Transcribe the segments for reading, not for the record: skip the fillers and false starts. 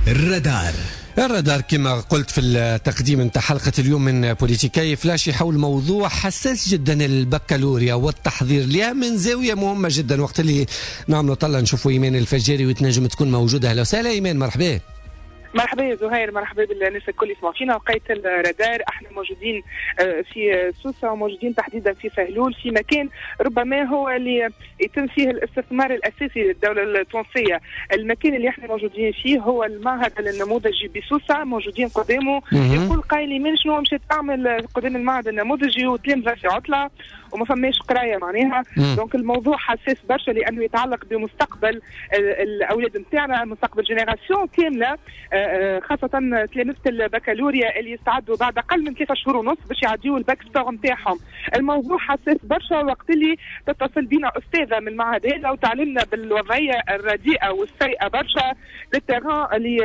الرادار. الرادار كما قلت في التقديم نتاع حلقة اليوم من بوليتيكاي فلاش حول موضوع حساس جدا، البكالوريا والتحضير لها من زاوية مهمة جدا. وقت اللي نعملوا طلع نشوفوا إيمان الفجاري وتنجم تكون موجودة. أهلا وسهلا إيمان، مرحبا. مرحبا يا زهير، مرحبا بالناس الكل يسمعوا فينا. وقيت الرادار احنا موجودين في سوسة وموجودين تحديدا في سهلول، في مكان ربما هو اللي يتم فيه الاستثمار الاساسي للدولة التونسية. المكان اللي احنا موجودين فيه هو المعهد النموذجي بسوسه، موجودين قدامه. يقول قايل من شنو مشيت تعمل قدام المعهد النموذجي وتلامذه في عطله وما فماش قرايه معناها. donc الموضوع حساس برشا لانه يتعلق بمستقبل الاولاد نتاعنا، مستقبل génération كاملة، خاصة تلامذة البكالوريا اللي يستعدوا بعد أقل من 3 شهور ونص باش يعديوا ال bac sport نتاعهم. الموضوع حساس برشا وقت اللي تتصل بنا أستاذة من المعهد هذا وتعلمنا بالوضعية الرديئة والسيئة برشا لل terrain اللي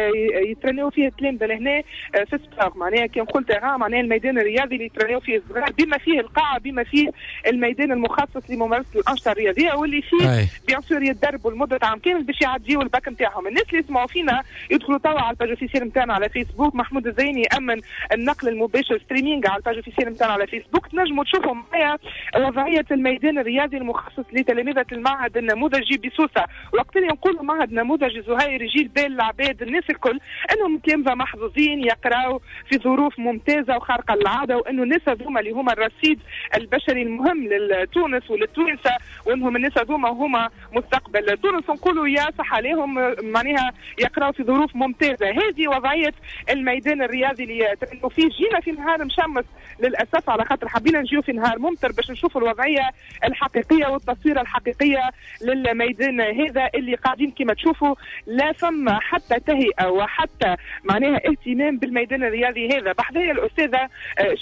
يترنيو فيه التلامذة لهنا في sport. معناها كي نقول terrain معناها الميدان الرياضي اللي يترنيو فيه الصغار، بما فيه القاعة، بما فيه الميدان المخصص لممارسة الأنشطة الرياضية واللي فيه bien sûr يتدربوا لمدة عام كامل باش يعديوا الباك نتاعهم. الناس اللي يسمعوا فينا يدخلوا توا على ال page officielle نتاعنا على فيسبوك، محمود الزيني يامن النقل المباشر streaming على ال page officielle نتاعنا على فيسبوك، تنجموا تشوفوا معايا وضعية الميدان الرياضي المخصص لتلاميذ المعهد النموذجي بسوسه. وقت اللي نقولوا معهد نموذجي زهير يجي البال العباد الناس الكل انهم تلامذه محظوظين يقراوا في ظروف ممتازة وخارقه للعاده، وانه الناس هذوما اللي هما الرصيد البشري المهم لتونس وللتوانسه، وانهم الناس هذوما هما مستقبل تونس، نقولوا يا صح عليهم معناها يقراوا في ظروف ممتازة. هذه وضعية الميدان الرياضي اللي ترنوا فيه. جينا في نهار مشمس للاسف، على خاطر حبينا نجيو في نهار ممطر باش نشوفوا الوضعية الحقيقية والتصويره الحقيقية للميدان هذا اللي قاعدين كما تشوفوا لا فما حتى تهيئة وحتى معناها اهتمام بالميدان الرياضي هذا. بحذايا الاستاذة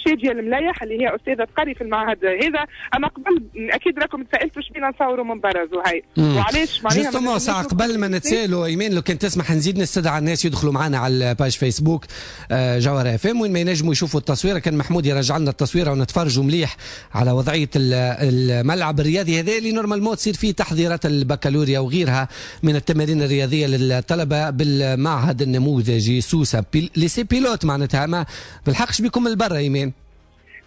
شاديه المليح اللي هي استاذه تقري في المعهد هذا. اما قبل اكيد راكم تسالتوا شبينا نصوروا من برا زهير وعلاش معناها justement ساعة قبل ما نتسالوا ايمان، لو كان تسمح نزيد نستدعى الناس يدخلوا معنا على ال page فيسبوك جوهرة اف ام وين ما ينجموا يشوفوا التصويره. كان محمود يرجع لنا التصويره ونتفرجوا مليح على وضعية الملعب الرياضي هذا اللي normalement تصير فيه تحضيرات البكالوريا وغيرها من التمارين الرياضية للطلبة بالمعهد النموذجي سوسة lycée pilote. معناتها ما بالحقش بكم البرا ايمان.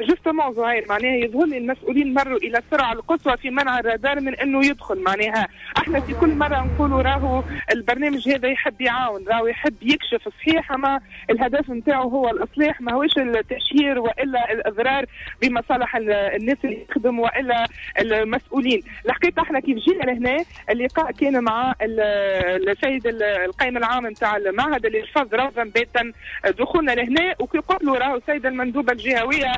justement زهير، معناها يظهر لي المسؤولين مروا الى السرعة القصوى في منع الرادار من انه يدخل. معناها احنا في كل مرة نقولوا راهو البرنامج هذا يحب يعاون، راهو يحب يكشف، صحيح، اما الهدف نتاعو هو الاصلاح، ما هوش التشهير والا الاضرار بمصالح الناس اللي يخدم والا المسؤولين. الحقيقة احنا كيف جينا لهنا اللقاء كان مع السيد القائم العام نتاع المعهد اللي رفض رفضا باتا دخولنا لهنا. وكي قلت له راهو السيدة المندوبه الجهوية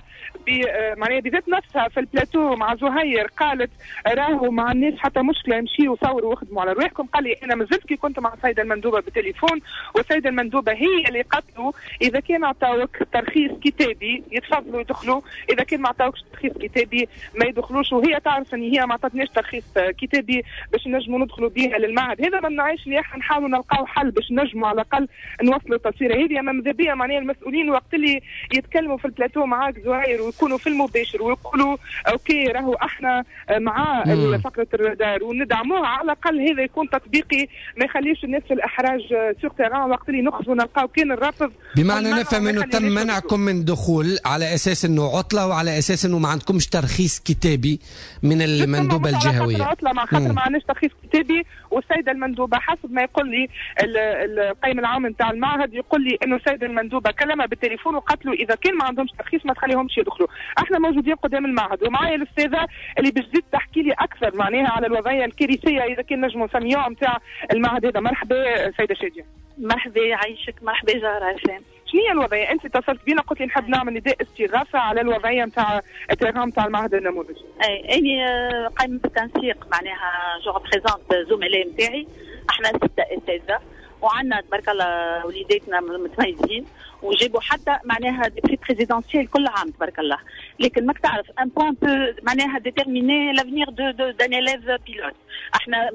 معناها بذات نفسها في البلاتو مع زهير قالت راهو ما عندناش حتى مشكله، امشيوا وصوروا واخدموا على رواحكم، قال لي انا مازلت كي كنت مع السيدة المندوبه بالتليفون، والسيدة المندوبه هي اللي قالت له اذا كان عطاوك ترخيص كتابي يتفضلوا يدخلوا، اذا كان ما عطاوكش ترخيص كتابي ما يدخلوش. وهي تعرف ان هي ما عطتناش ترخيص كتابي باش نجموا ندخلوا بها للمعهد. هذا ما منعش اللي احنا نحاولوا نلقاو حل باش نجموا على الاقل نوصلوا التصويره هذه. اما ماذا بيا معناها المسؤولين وقت اللي يتكلموا في البلاتو معاك زهير ويكونوا في المباشر ويقولوا OK راهو احنا مع فقره الرادار وندعموها، على الاقل هذا يكون تطبيقي ما يخليش الناس في الاحراج sur terrain وقت اللي نخرجوا نلقاو كان الرفض. بمعنى نفهم انه تم منعكم من دخول على اساس انه عطله وعلى اساس انه ما عندكمش ترخيص كتابي من المندوبه الجهويه. عطله مع خاطر ما عندناش ترخيص كتابي. والسيدة المندوبه حسب ما يقول لي القيم العام نتاع المعهد، يقول لي انه السيدة المندوبه كلمها بالتليفون وقالت له اذا كان ما عندهمش ترخيص ما تخليهمش يدخلوا. احنا موجودين قدام المعهد ومعايا الاستاذة اللي باش تزيد تحكي لي اكثر معناها على الوضعية الكارثية اذا كان نجموا نسميوها نتاع المعهد هذا. مرحبا سيده شاديه. مرحبا، يعيشك، مرحبا جوهرة اف ام. شنو هي الوضعية؟ انت اتصلت بينا قلت لي نحب نعمل نداء استغاثة على الوضعية نتاع ال terrain نتاع المعهد النموذجي. اي، اني قائمة بالتنسيق، معناها je représente زملاء نتاعي، احنا ستة اساتذة وعندنا تبارك الله وليداتنا متميزين وجابوا حتى معناها des prix présidentiels كل عام تبارك الله. لكن ماك تعرف un point peut معناها déterminer l'avenir de d'un élève pilote. احنا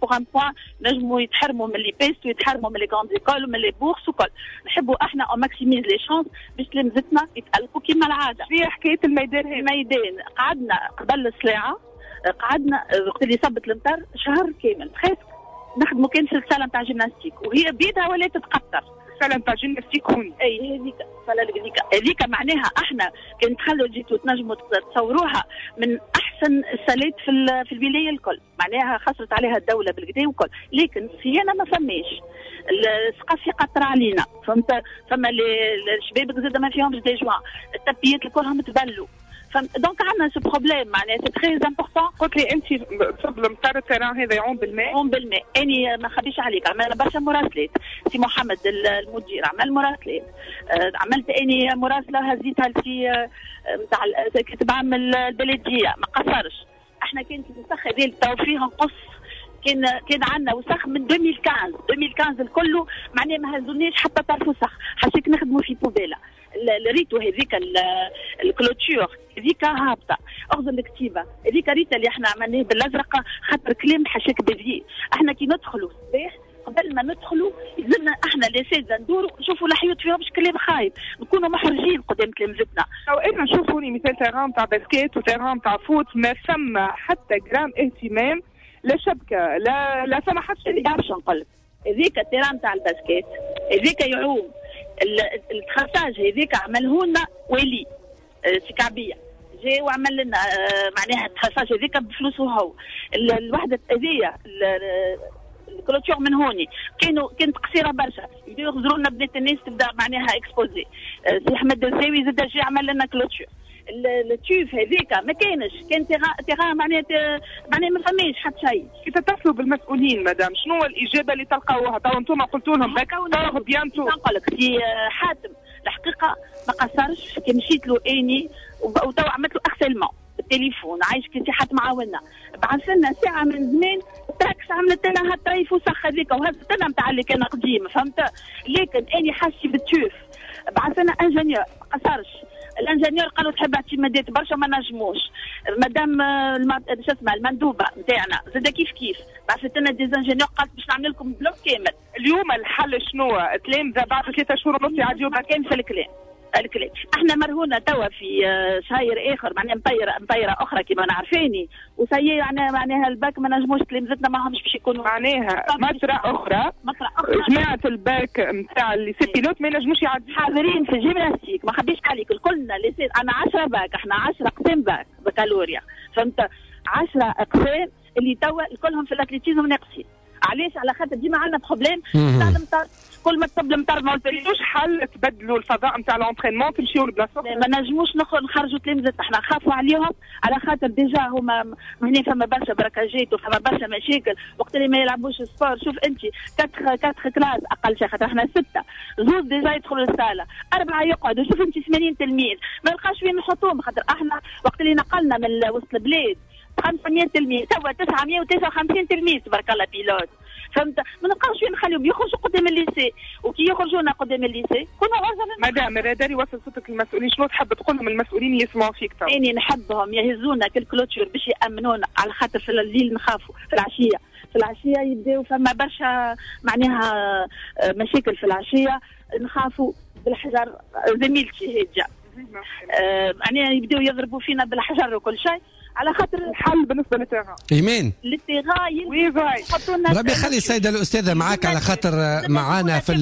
pour un point نجموا يتحرموا من l'IPEST ويتحرموا من les grandes écoles ومن les bourses وكل. نحبوا احنا on maximise les chances باش تلامذتنا يتالقوا كما العاده. في حكاية الميدان هذا، الميدان قعدنا قبل السلاعه، قعدنا وقت اللي صبت المطر شهر كامل presque. نخدموا كان في ال salle نتاع جيمناستيك وهي بيدها ولا تتقطر. ال salle نتاع جيمناستيك هوني. اي هذيك ال salle هذيك معناها احنا كان تخلوا جيتوا تنجموا تصوروها من احسن السالات في الولاية الكل، معناها خسرت عليها الدولة بالكدا وكل، لكن الصيانة ما فماش، السقف يقطر علينا، فهمت؟ فما الشبابك زاد ما فيهمش des joints، التبيات الكلهم تبلوا، donc عندنا ce problème معناها c'est très important. قلت لي انت تصب المطر ال terrain هذا يعوم بالماء؟ يعوم بالماء، اني ما نخبيش عليك عملنا برشا مراسلات، سي محمد المدير عمل مراسلات، عملت اني مراسله هزيتها لسي نتاع كاتب عام البلدية ما قصرش. احنا كانت الوسخ هذه تو فيها نقص، كان عندنا وسخ من 2015 الكل معناها ما هزوناش حتى طرف وسخ، حاشيك نخدموا في poubelle. ريتو هذيك ال clôture هذيك هابطة، اغزر الكتيبة هذيك ريتا اللي احنا عملناه بالازرق خاطر كلام حاشاك بذيء. احنا كي ندخلوا الصباح قبل ما ندخلوا يلزمنا احنا الاساتذة ندوروا نشوفوا الحيوط فيهم كلام خايب، نكونوا محرجين قدام تلامذتنا. او انا نشوفوا مثال terrain تاع basket و terrain تاع foot ما ثم حتى جرام اهتمام، لا شبكة لا ثم حتى شيء. باش نقول لك هذيك ال terrain تاع ال basket هذيك يعوم ال traçage هذيك عمله لنا ولي سي كعبيه جا وعمل لنا معناها ال traçage هذيك بفلوسه هو. الوحدة هذيا ال clôture من هوني كانت قصيرة برشا، يبداو يغزروا لنا بنات الناس تبدا معناها exposées. سي احمد الزاوي زاد جا عمل لنا clôture. ال tuf هذيك ما كانش، كان terrain معناها ما فماش حتى شيء. كي تتصلوا بالمسؤولين مدام شنو الاجابة اللي تلقاوها؟ تو انتم قلتوا لهم bac bientôt. نقول لك سي حاتم الحقيقة ما قصرش، كي مشيت له اني وتو عملت له harcèlement بالتليفون، عايش كي سي حاتم عاونا، بعث لنا ساعة من زمان تراكس عملت لنا هالطريف وسخ هذيك وهزت لنا نتاع اللي كان قديم، فهمت؟ لكن اني حاسه بال tuf، بعث لنا ingénieur ما قصرش. ال ingénieur قالوا تحب اعتمادات برشا ما نجموش. مادام شو اسمها المندوبه نتاعنا زاد كيف كيف بعثت لنا des ingénieurs قالت باش نعمل لكم bloc كامل. اليوم الحل شنو؟ تلامذه بعد 3 شهور ونص يعديو كان في الكلام. احنا مرهونه توا في شهر اخر معناها مطيره اخرى كما نعرفيني وسي معناها الباك ما نجموش تلامذتنا ما همش باش يكونوا معناها مطرة اخرى جماعة الباك نتاع lycée pilote ما ينجموش يعدوا حاضرين في الجيمناستيك. ما خبيش عليك الكلنا lycée انا 10 باك، احنا 10 اقسام باك بكالوريا، فهمت؟ 10 اقسام اللي توا كلهم في ال athlétisme ناقصين. علاش؟ على خاطر ديما عندنا problème تاع المطر، كل ما تصب المطر ما لقيتوش حل تبدلوا الفضاء نتاع l'entraînement تمشيو لبلاصه ما نجموش نخرجوا تلامذتنا، احنا نخافوا عليهم على خاطر déjà هما هنا فما برشا براكاجات وفما برشا مشاكل وقت اللي ما يلعبوش sport. شوف انت 4 classes اقل شيء، خاطر احنا 6 زوز déjà يدخلوا للصاله، 4 يقعدوا، شوف انت 80 تلميذ ما نلقاش وين نحطوهم، خاطر احنا وقت اللي نقلنا من وسط البلاد 500 تلميذ توا 959 تلميذ تبارك الله pilote، فهمت؟ ما نلقاوش وين نخليهم يخرجوا قدام ال lycée، وكي يخرجونا قدام ال lycée كنا عرضه. مدام الرادار يوصل صوتك للمسؤولين، شنو تحب تقول لهم المسؤولين يسمعوا فيك تو؟ اني نحبهم يهزونا كال clôture باش يامنونا، على خاطر في الليل نخافوا، في العشية يبداو فما برشا معناها مشاكل في العشية، نخافوا بالحجر. زميلتي هاجه معناها يبداو يضربوا فينا بالحجر وكل شيء على خاطر الحل بالنسبة لل terrain. ايمان لل terrain ربي يخلي السيدة الاستاذة معاك على خاطر معانا في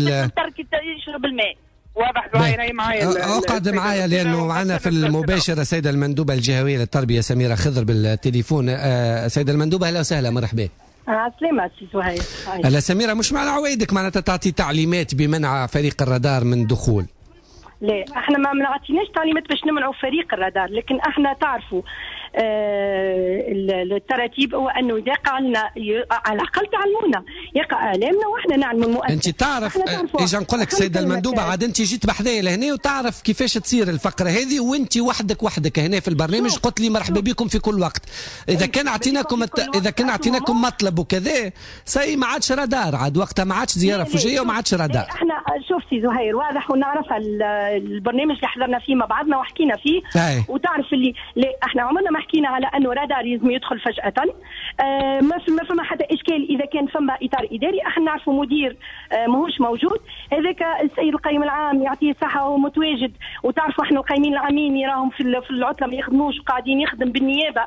يشرب الماء. واضح زهير معايا، اقعد معايا لانه معنا في المباشر السيدة المندوبه الجهوية للتربية سميرة خضر بالتليفون. السيدة المندوبه اهلا وسهلا، مرحبا. عسلامة سي زهير. هلا سميرة، مش معنى عوايدك معناتها تعطي تعليمات بمنع فريق الرادار من دخول؟ لا احنا ما عطيناش تعليمات باش نمنعوا فريق الرادار، لكن احنا تعرفوا التراتيب هو انه يقع لنا على الاقل تعلمونا، يقع اعلامنا واحنا نعلموا المؤسسة. انت تعرف اجا نقول لك السيدة المندوبه، عاد انت جيت بحذايا لهنا وتعرف كيفاش تصير الفقرة هذه، وانت وحدك هنا في البرنامج قلت لي مرحبا بكم في كل وقت. اذا كان اعطيناكم اذا كان اعطيناكم مطلب وكذا سي ما عادش رادار، عاد وقتها ما عادش زيارة فوجيه وما عادش رادار. احنا شوف سي زهير واضح ونعرف البرنامج اللي حضرنا فيه مع بعضنا وحكينا فيه. وتعرف اللي لا احنا عمرنا ما حكينا على انه رادار لازم يدخل فجاة. ما فما حتى اشكال اذا كان فما اطار اداري، احنا نعرفوا مدير ماهوش موجود، هذاك السيد القيم العام يعطيه الصحة وهو متواجد، وتعرفوا احنا القيمين العامين يراهم في العطلة ما يخدموش وقاعدين يخدم بالنيابة،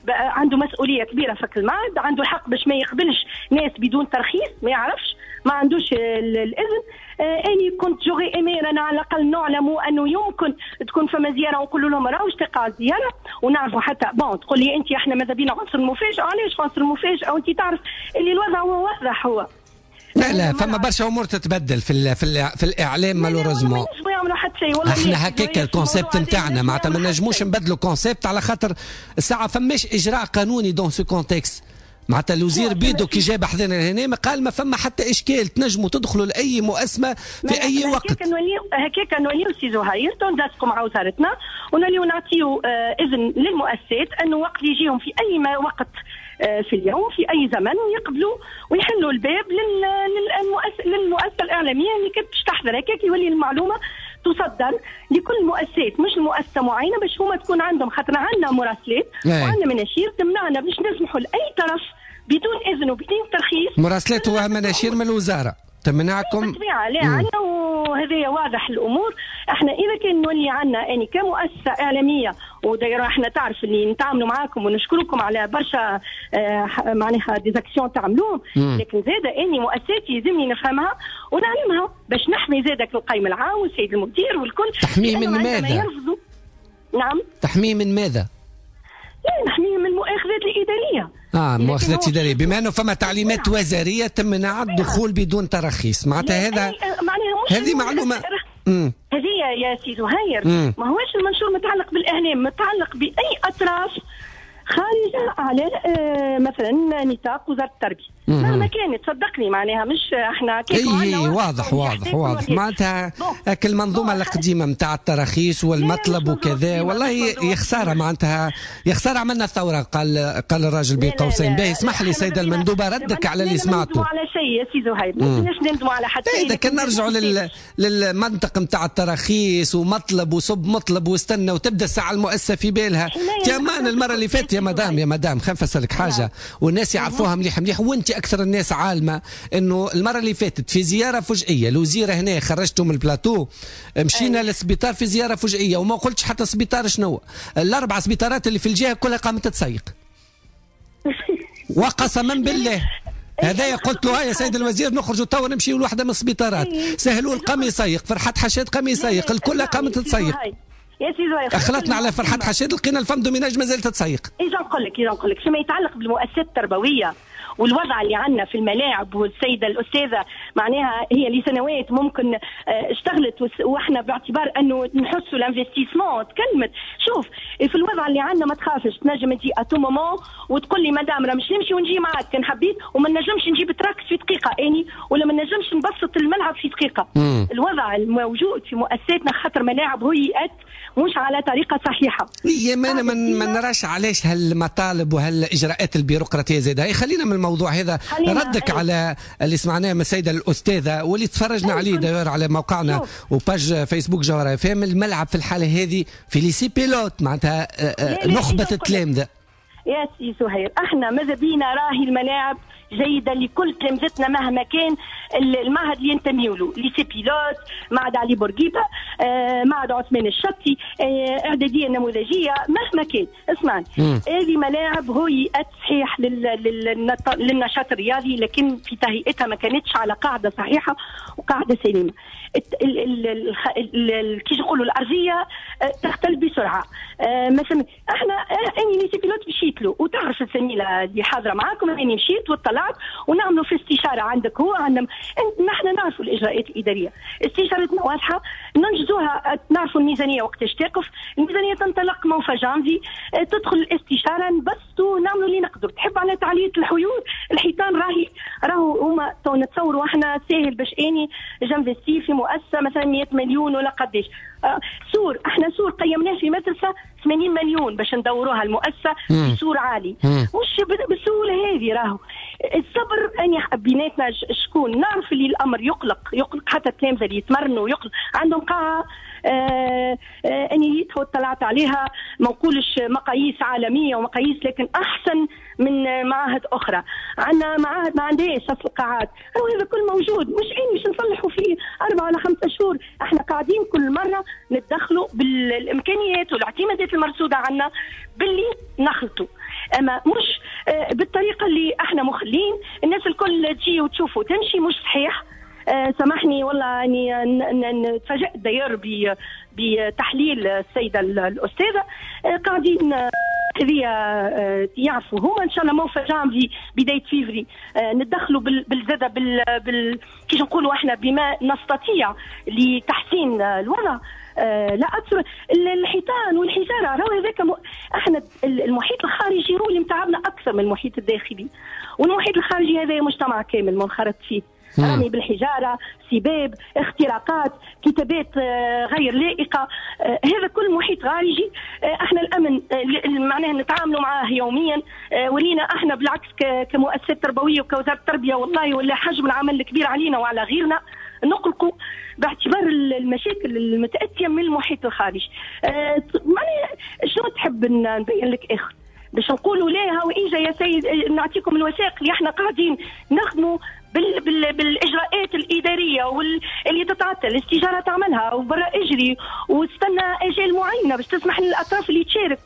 عنده مسؤولية كبيرة في المعهد، عنده الحق باش ما يقبلش ناس بدون ترخيص، ما يعرفش، ما عندوش الاذن. اني كنت j'aurais aimé انا على الاقل نعلموا انه يمكن تكون فما زيارة ونقولوا لهم راهوش تقع الزيارة ونعرفوا حتى bon. تقول لي انت احنا ماذا بينا عنصر المفاجاة، علاش عنصر المفاجاة وانت تعرف اللي الوضع هو واضح. هو لا فما برشا امور تتبدل في الاعلام malheureusement. احنا هكاك ال concept نتاعنا معناتها ما نجموش نبدلوا concept على خاطر الساعة فماش اجراء قانوني dans ce contexte. معناتها الوزير بيدو كي جاب حذانا هنا قال ما فما حتى اشكال، تنجموا تدخلوا لاي مؤسسة في اي وقت. هكاك نوليو سي زهير تندسقوا مع وزارتنا ونوليو نعطيو اذن للمؤسسات انه وقت يجيهم في اي ما وقت في اليوم في اي زمن يقبلوا ويحلوا الباب للمؤسسه الاعلامية اللي كانت باش تحضر. هكاك يولي المعلومة تصدر لكل المؤسسات مش المؤسسة معينة باش هما تكون عندهم، خاطر عندنا مراسلات وعندنا مناشير تمنعنا باش نسمحوا لاي طرف بدون اذن وبدون ترخيص. مراسلات ومناشير من الوزارة تمنعكم بالطبيعة. لا عندنا، وهذا واضح الامور. احنا اذا كان نولي عندنا يعني كمؤسسة اعلامية ودايره احنا تعرف اللي نتعاملوا معاكم ونشكركم على برشا معناها des actions تعملوهم، لكن زاد اني مؤسساتي يلزمني نفهمها ونعلمها باش نحمي زادك القيم العام والسيد المدير والكل. تحميه من ماذا؟ نعم، تحميه من ماذا؟ لا نحمية من المؤاخذات الادارية. مؤاخذات ادارية، بما انه فما تعليمات وزارية تمنع الدخول بدون تراخيص، معناتها هذا هذه معلومة. هذه يا سي زهير ما هوش المنشور متعلق بالاعلام، متعلق باي اطراف خارجه على مثلا نطاق وزارة التربية مهما كانت، صدقني معناها مش احنا اي واضح واضح واضح معناتها المنظومة القديمة نتاع التراخيص والمطلب وكذا. والله يا خسارة، معناتها يا خسارة عملنا الثورة، قال الراجل بين قوسين. باهي اسمح لي سيده المندوبه ردك على اللي سمعته. على شيء يا سي زهير، ما كناش نندموا على حتى شيء. اذا كان نرجعوا للمنطق نتاع التراخيص ومطلب وصب مطلب واستنى وتبدا الساعة المؤسسة في بالها. يا المرة اللي فاتت يا مدام، يا مدام خلينا نفسرلك حاجة والناس يعرفوها مليح مليح وانت اكثر الناس عالمه، انه المرة اللي فاتت في زيارة فجئيه الوزيرة هنا خرجته من البلاتو، مشينا للسبيطار في زيارة فجئيه وما قلتش حتى سبيطار شنو، الاربع سبيطارات اللي في الجهة كلها قامت تسيق وقسما بالله. هذايا قلت له يا سيد الوزير نخرجوا توا نمشيو لوحده من السبيطارات، سهلول قام يسيق، فرحات حشاد قام يسيق، الكل قامت تسيق. يا سي زهير اخلطنا على فرحات حشاد لقينا ال femme de ménage مازالت تسيق. اذا نقول لك فيما يتعلق بالمؤسسات التربوية والوضع اللي عندنا في الملاعب، والسيدة الاستاذة معناها هي لسنوات ممكن اشتغلت واحنا باعتبار انه نحسوا l'investissement تكلمت. شوف في الوضع اللي عندنا ما تخافش، تنجم تجي à tout moment وتقول لي مدام راه مش نمشي ونجي معاك كان حبيت، وما نجمش نجيب تراكس في دقيقة اني، ولا ما نجمش نبسط الملعب في دقيقة. الوضع الموجود في مؤسساتنا خاطر ملاعب هيئت مش على طريقه صحيحه. يا ما انا ما نراش علاش هالمطالب وهالاجراءات البيروقراطية زايدة. خلينا من الموضوع هذا، ردك على اللي سمعناه من السيدة الاستاذة واللي تفرجنا عليه داير على موقعنا و page فيسبوك جوهرة فهم. الملعب في الحالة هذه في lycée pilote معناتها نخبة التلامذه. يا سي زهير احنا ماذا بينا راهي الملاعب جيدة لكل تلامذتنا مهما كان المعهد اللي ينتميوا له، lycée pilote، معهد علي بورقيبة، معهد عثمان الشطي، اعدادية النموذجيه، مهما كان. اسمعني، هذه ملاعب هيئت صحيح للنشاط الرياضي، لكن في تهيئتها ما كانتش على قاعدة صحيحه وقاعدة سليمة. كي نقولوا الارضية تختل بسرعة. مثلا احنا اني lycée pilote مشيت له، وتعرف الزميلة اللي حاضره معاكم اني مشيت وطلعت ونعملوا في استشاره عندك هو عندنا، نحن نعرفوا الاجراءات الادارية، استشارتنا واضحة ننجزوها، نعرفوا الميزانية وقتاش تقف، الميزانية تنطلق موفى جانفي، تدخل الاستشارة نبسطوا نعملوا اللي نقدروا. تحب على تعليه الحيوط الحيطان راهي راهو هما نتصوروا احنا ساهل باش اني j'investis في مؤسسة مثلا 100 مليون ولا قداش. سور، احنا سور قيمناه في مدرسه 80 مليون باش ندوروها المؤسسة في سور عالي، مش بالسهولة هذه. راهو الصبر اني بيناتنا شكون نعرف اللي الامر يقلق، يقلق حتى التلامذه اللي يتمرنوا، يقلق عندهم قاعة اني طلعت عليها، ما نقولش مقاييس عالمية ومقاييس، لكن احسن من معاهد اخرى. عندنا معاهد ما عندهاش اصل قاعات، هذا كل موجود، مش عين مش نصلحوا فيه 4 ولا 5 شهور. احنا قاعدين كل مرة نتدخلوا بالامكانيات والاعتمادات المرصوده عندنا باللي نخلطوا، اما مش بالطريقة اللي احنا مخلين الناس الكل تجي وتشوف وتمشي، مش صحيح. سامحني والله اني تفاجأت داير بتحليل السيدة الاستاذة. قاعدين هذه يعرفوا هما ان شاء الله موفى جانفي بداية فيفري ندخلوا بالزاده كيش نقولوا احنا بما نستطيع لتحسين الوضع. لا اكثر الحيطان والحجارة راهو هذاك احنا المحيط الخارجي هو اللي متعبنا اكثر من المحيط الداخلي، والمحيط الخارجي هذا مجتمع كامل منخرط فيه، رمي بالحجارة، سباب، اختراقات، كتابات غير لائقة، هذا كل محيط خارجي. احنا الامن معناها نتعاملوا معاه يوميا، ولينا احنا بالعكس كمؤسسات تربوية وكوزارة التربية والله ولا حجم العمل الكبير علينا وعلى غيرنا نقلقوا باعتبار المشاكل المتاتيه من المحيط الخارجي. معناها شنو تحب نبين لك اخر باش نقولوا لا هاو اجا يا سيد نعطيكم الوثائق اللي احنا قاعدين نخدموا بالاجراءات الادارية واللي تتعطل الاستجاره تعملها وبرا اجري واستنى اجال معينة باش تسمح للاطراف اللي تشارك.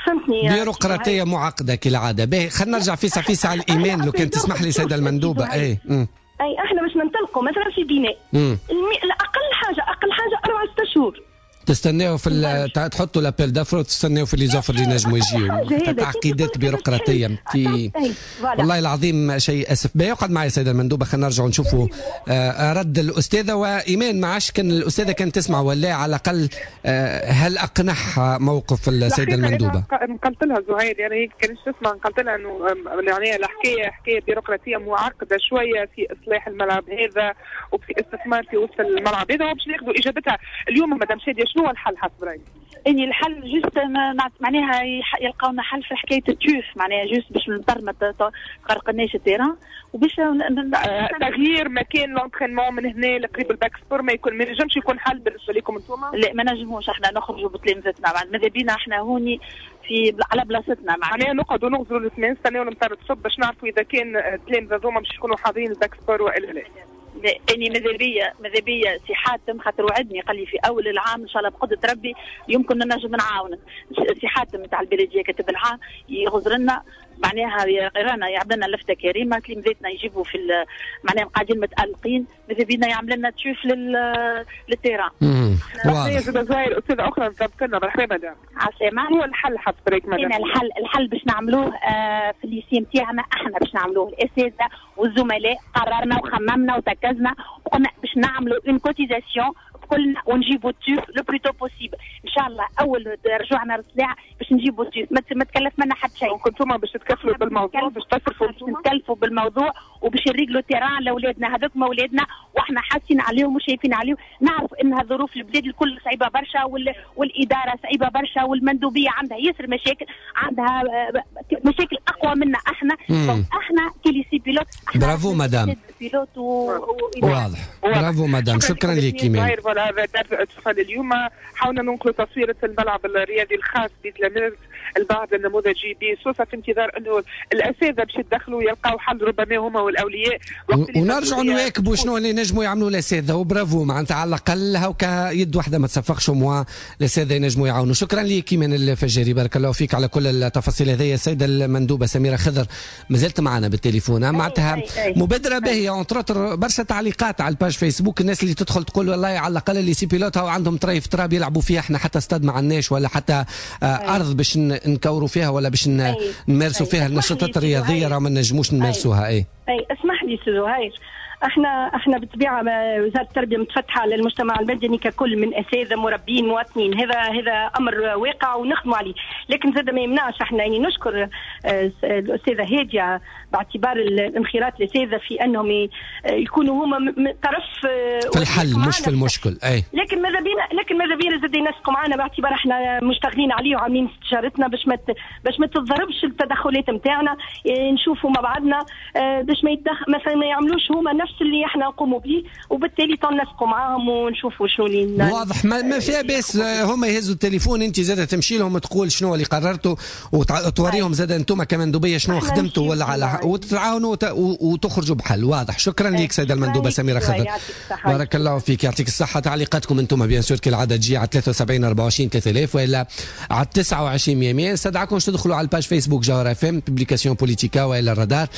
فهمتني؟ بيروقراطيه معقدة كالعادة. باهي خلينا نرجع فيسع فيسع على الايمان لو كان تسمح لي سيده المندوبه. اي اي احنا باش ننطلقوا مثلا في بناء اقل حاجة اقل حاجة 4 6 شهور تستناو في تحطوا l'appel d'offres وتستناو في les offres اللي نجموا يجيو. تعقيدات بيروقراطيه في والله العظيم شيء اسف. باهي اقعد معي سيده المندوبه، خلينا نرجعوا نشوفوا رد الاستاذة وايمان. ما عادش كان الاستاذة كانت تسمع ولا على الاقل هل اقنعها موقف السيدة المندوبه؟ نقلت لها زهير، يعني هي كانت تسمع، نقلت لها انه يعني الحكاية حكاية بيروقراطيه معقدة شوية في اصلاح الملعب هذا وفي استثمار في وسط الملعب هذا، وباش ناخذوا اجابتها اليوم مدام شاديه. شنو الحل حسب رايك؟ اني الحل juste معناها يلقاونا حل في حكاية ال tuf، معناها juste باش المطر ما تغرقناش ال terrain، وباش تغيير مكان l'entraînement من هنا لقريب ال bac sport ما يكون ما ينجمش يكون حل بالنسبة لكم انتم؟ لا ما نجموش احنا نخرجوا بتلامذتنا، ماذا بينا احنا هوني في على بلاصتنا، معناها نقعدوا نغزروا الاثنين نستناو المطر تصب باش نعرفوا اذا كان التلامذه هذوما باش يكونوا حاضرين ال bac sport والا لا. اني ماذا بيا سي حاتم خاطر وعدني قال لي في اول العام ان شاء الله بقدره ربي يمكن نجم نعاونك. سي حاتم نتاع البلدية كاتب العام يغزر لنا معناها يرانا يعمل لنا لفته كريمة، تلامذتنا يجيبوا في معناها قاعدين متالقين، ماذا بينا يعمل لنا tuf لل terrain. واضح. زهير استاذه اخرى ضبط لنا، مرحبا مدام. عسلامة. هو الحل حسب رايك مدام؟ الحل باش نعملوه في ال lycée نتاعنا احنا باش نعملوه الاساتذة والزملاء، قررنا وخممنا وتركزنا وقلنا باش نعملوا une cotisation كلنا ونجيبوا ال tuf le plus tôt possible ان شاء الله. اول رجوعنا رسلاع باش نجيبوا ال tuf، ما تكلف منا حتى شيء. كنتم باش تتكفلوا بالموضوع، باش تصرفوا، باش نتكلفوا بالموضوع وباش نريقلوا terrain لاولادنا، هذوك ما اولادنا واحنا حاسين عليهم وشايفين عليهم. نعرف انها ظروف البلاد الكل صعيبة برشا، والادارة صعيبة برشا، والمندوبيه عندها ياسر مشاكل، عندها مشاكل اقوى منا احنا. احنا ك lycée pilote. bravo madame. pilote واضح. bravo madame، شكرا لك ايمان. هذا درس اليوم حاولنا ننقل تصويرة الملعب الرياضي الخاص بتلاميذ البعض النموذجي بسوسة، في انتظار انه الاساتذة باش يتدخلوا يلقاو حل ربما هما والاولياء، ونرجعوا نواكبوا شنو اللي نجموا يعملوا الاساتذة. وبرافو معناتها على الاقل هاكا يد واحدة ما تصفقش، موا الاساتذة ينجموا يعاونوا. شكرا لك ايمان الفجاري، بارك الله فيك على كل التفاصيل هذه. السيدة المندوبه سميرة خضر مازالت معنا بالتليفون، معناتها مبادرة باهيه entre autres. برشا تعليقات على ال page فيسبوك، الناس اللي تدخل تقول والله على الاقل lycée pilote هاو عندهم طريف تراب يلعبوا فيها، احنا حتى استاد ما عندناش ولا حتى ارض باش نكوروا فيها ولا باش نمارسوا فيها النشاطات الرياضية، راه ما نجموش نمارسوها. اي اسمح لي سي زهير، احنا بالطبيعة وزارة التربية متفتحه للمجتمع المدني ككل، من اساتذة مربين مواطنين، هذا امر واقع ونخدموا عليه، لكن زاد ما يمنعش احنا يعني نشكر الاستاذة هادية باعتبار الانخراط الاساتذة في انهم يكونوا هما طرف في الحل مش في المشكل. اي لكن ماذا بينا زاد ينسقوا معنا باعتبار احنا مشتغلين عليه وعاملين استشارتنا باش ما تتضربش التدخلات نتاعنا، نشوفوا مع بعضنا باش ما مثلا ما يعملوش هما نفس نفس اللي احنا نقوموا به، وبالتالي تنسقوا معاهم ونشوفوا شنو اللي واضح. ما فيها باس هما يهزوا التليفون، انت زاد تمشي لهم تقول شنو اللي قررتوا وتوريهم زاد انتم كمندوبيه شنو خدمتوا ولا على وتتعاونوا وتخرجوا بحل واضح. شكرا لك سيده المندوبه سميرة خضر، بارك الله فيك، يعطيك الصحه. تعليقاتكم انتم bien sûr كالعادة تجي على 73 24 3000 والا على 29 100. نستدعكم تدخلوا على ال page فيسبوك جوهرة اف ام، publication بوليتيكا والا الرادار.